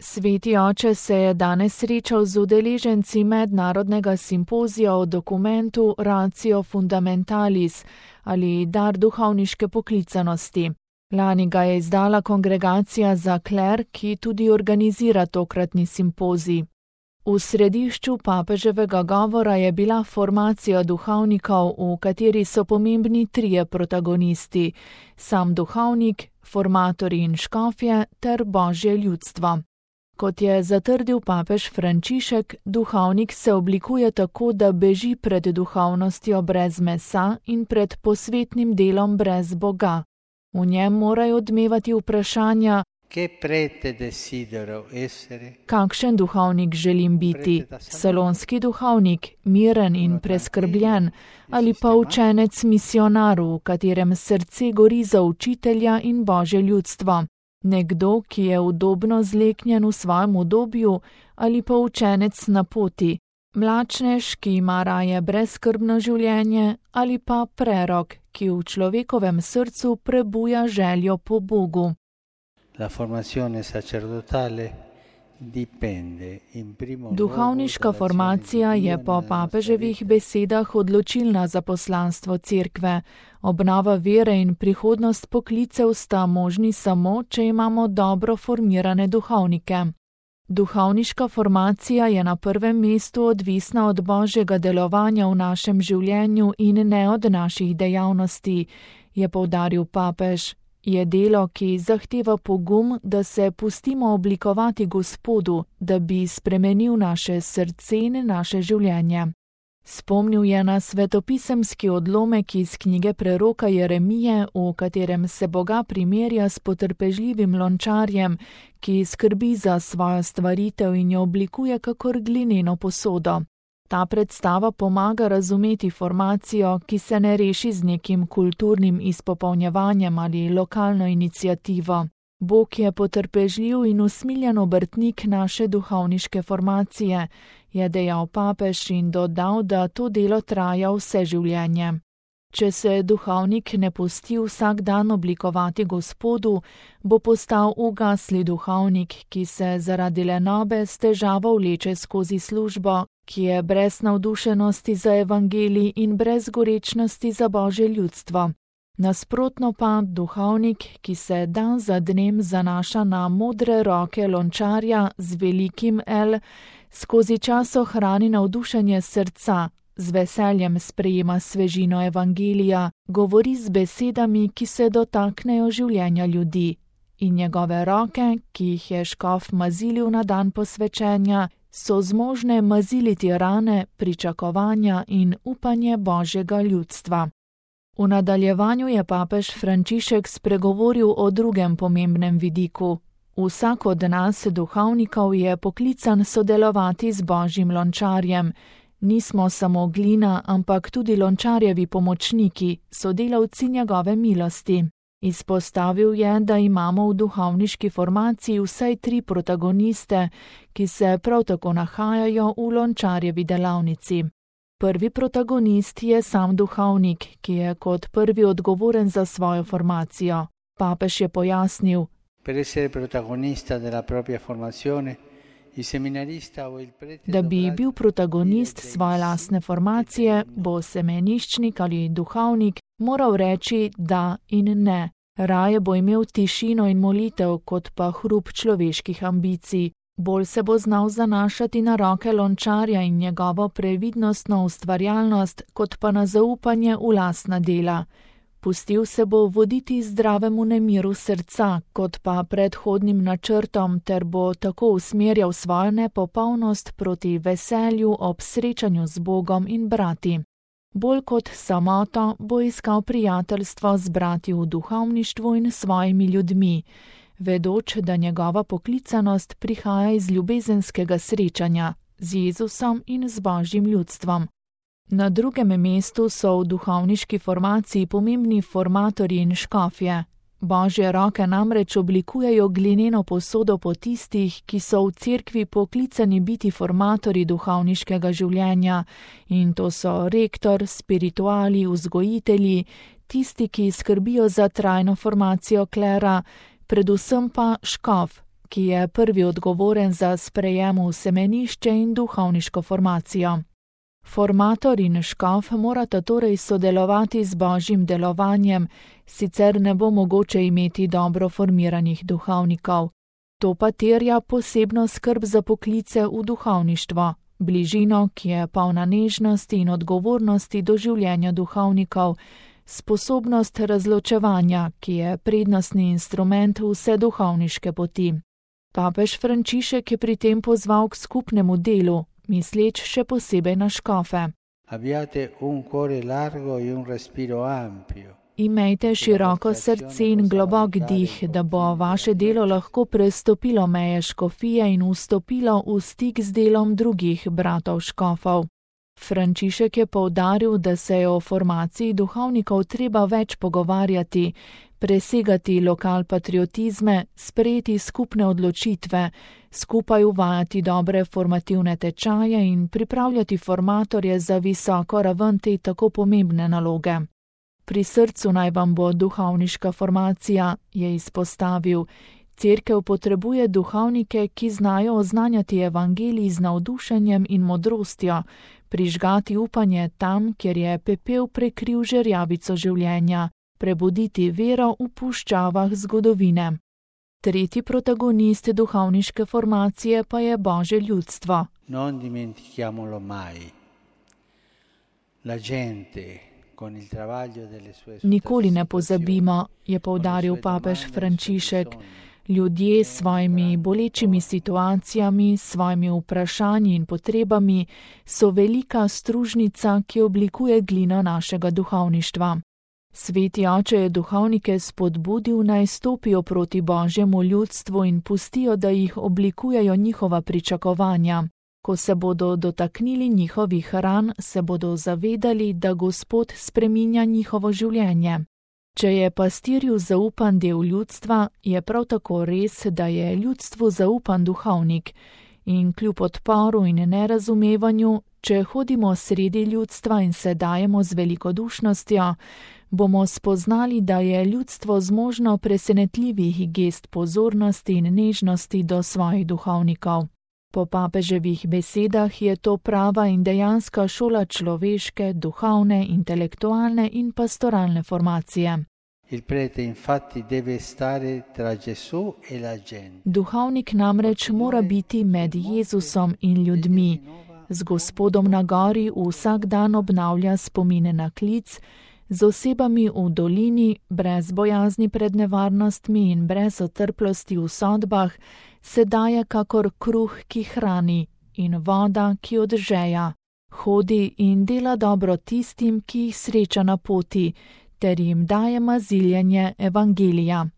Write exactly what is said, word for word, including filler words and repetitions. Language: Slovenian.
Sveti oče se je danes srečal z udeleženci mednarodnega simpozija o dokumentu Ratio Fundamentalis ali dar duhovniške poklicanosti. Lani ga je izdala Kongregacija za kler, ki tudi organizira tokratni simpozij. V središču papeževega govora je bila formacija duhovnikov, v kateri so pomembni trije protagonisti: sam duhovnik, formatorji in škofje ter božje ljudstvo. Kot je zatrdil papež Frančišek, duhovnik se oblikuje tako, da beži pred duhovnostjo brez mesa in pred posvetnim delom brez Boga. V njem morajo odmevati vprašanja: kakšen duhovnik želim biti? Salonski duhovnik, miren in preskrbljen, ali pa učenec misionar, v katerem srce gori za učitelja in božje ljudstvo? Nekdo, ki je udobno zleknjen v svojem udobju, ali pa učenec na poti? Mlačnež, ki ima raje brezskrbno življenje, ali pa prerok, ki v človekovem srcu prebuja željo po Bogu? Duhovniška formacija je po papeževih besedah odločilna za poslanstvo cerkve. Obnova vere in prihodnost poklicev sta možni samo, če imamo dobro formirane duhovnike. Duhovniška formacija je na prvem mestu odvisna od božjega delovanja v našem življenju in ne od naših dejavnosti, je poudaril papež. Je delo, ki zahteva pogum, da se pustimo oblikovati Gospodu, da bi spremenil naše srce in naše življenje. Spomnil je na svetopisemski odlomek iz knjige preroka Jeremije, v katerem se Boga primerja s potrpežljivim lončarjem, ki skrbi za svojo stvaritev in jo oblikuje kakor glineno posodo. Ta predstava pomaga razumeti formacijo, ki se ne reši z nekim kulturnim izpopolnjevanjem ali lokalno iniciativo. Bog je potrpežljiv in usmiljen obrtnik naše duhovniške formacije, je dejal papež in dodal, da to delo traja vse življenje. Če se duhovnik ne pusti vsak dan oblikovati Gospodu, bo postal ugasli duhovnik, ki se zaradi lenobe s težavo vleče skozi službo, ki je brez navdušenosti za evangelij in brez gorečnosti za božje ljudstvo. Nasprotno pa duhovnik, ki se dan za dnem zanaša na modre roke lončarja z velikim L, skozi čas ohrani navdušenje srca, z veseljem sprejema svežino evangelija, govori z besedami, ki se dotaknejo življenja ljudi. In njegove roke, ki jih je škof mazilil na dan posvečenja, so zmožne maziliti rane, pričakovanja in upanje božjega ljudstva. V nadaljevanju je papež Frančišek spregovoril o drugem pomembnem vidiku. Vsak od nas, duhovnikov, je poklican sodelovati z božjim lončarjem. Nismo samo glina, ampak tudi lončarjevi pomočniki, sodelavci njegove milosti. Izpostavil je, da imamo v duhovniški formaciji vsaj tri protagoniste, ki se prav tako nahajajo v lončarjevi delavnici. Prvi protagonist je sam duhovnik, ki je kot prvi odgovoren za svojo formacijo. Papež je pojasnil: Da bi bil protagonist svoje lastne formacije, bo semeniščnik ali duhovnik moral reči da in ne. Raje bo imel tišino in molitev, kot pa hrup človeških ambicij. Bolj se bo znal zanašati na roke lončarja in njegovo previdnostno ustvarjalnost, kot pa na zaupanje v lastna dela. Pustil se bo voditi zdravemu nemiru srca, kot pa predhodnim načrtom, ter bo tako usmerjal svojo nepopolnost proti veselju ob srečanju z Bogom in brati. Bolj kot samoto bo iskal prijateljstvo z brati v duhovništvu in svojimi ljudmi, vedoč, da njegova poklicanost prihaja iz ljubezenskega srečanja z Jezusom in z božjim ljudstvom. Na drugem mestu so v duhovniški formaciji pomembni formatorji in škofje. Božje roke namreč oblikujejo glineno posodo po tistih, ki so v cerkvi poklicani biti formatorji duhovniškega življenja, in to so rektor, spirituali, vzgojitelji, tisti, ki skrbijo za trajno formacijo klera, predvsem pa škof, ki je prvi odgovoren za sprejem v semenišče in duhovniško formacijo. Formator in škof morata torej sodelovati z božjim delovanjem, sicer ne bo mogoče imeti dobro formiranih duhovnikov. To pa terja posebno skrb za poklice v duhovništvo, bližino, ki je polna nežnosti in odgovornosti do življenja duhovnikov, sposobnost razločevanja, ki je prednostni instrument vse duhovniške poti. Papež Frančišek je pri tem pozval k skupnemu delu, misleč še posebej na škofe. Imejte široko srce in globok dih, da bo vaše delo lahko prestopilo meje škofije in vstopilo v stik z delom drugih bratov škofov. Frančišek je poudaril, da se je o formaciji duhovnikov treba več pogovarjati, presegati lokalpatriotizme, sprejeti skupne odločitve, skupaj uvajati dobre formativne tečaje in pripravljati formatorje za visoko raven te tako pomembne naloge. Pri srcu naj vam bo duhovniška formacija, je izpostavil. Cerkev potrebuje duhovnike, ki znajo oznanjati evangelij z navdušenjem in modrostjo, prižgati upanje tam, kjer je pepel prekril žerjavico življenja, prebuditi vero v puščavah zgodovine. Tretji protagonist duhovniške formacije pa je Božje ljudstvo. Non dimentichiamolo mai. La gente con il travaglio delle sue Nikoli ne pozabimo, je poudaril papež Frančišek. Ljudje s svojimi bolečimi situacijami, s svojimi vprašanji in potrebami so velika stružnica, ki oblikuje glino našega duhovništva. Sveti oče je duhovnike spodbudil, naj stopijo proti Božjemu ljudstvu in pustijo, da jih oblikujejo njihova pričakovanja. Ko se bodo dotaknili njihovih ran, se bodo zavedali, da Gospod spreminja njihovo življenje. Če je pastirju zaupan del ljudstva, je prav tako res, da je ljudstvu zaupan duhovnik. In kljub odporu in nerazumevanju, če hodimo sredi ljudstva in se dajemo z velikodušnostjo, bomo spoznali, da je ljudstvo zmožno presenetljivih gest pozornosti in nežnosti do svojih duhovnikov. Po papeževih besedah je to prava in dejanska šola človeške, duhovne, intelektualne in pastoralne formacije. Il prete infatti deve stare tra Gesù e la gente. Duhovnik namreč mora biti med Jezusom in ljudmi. Z Gospodom na gori vsak dan obnavlja spomine na klic, z osebami v dolini, brez bojazni pred nevarnostmi in brez otrplosti v sodbah, se daje kakor kruh, ki hrani, in voda, ki odžeja. Hodi in dela dobro tistim, ki jih sreča na poti, ter jim daje maziljenje evangelija.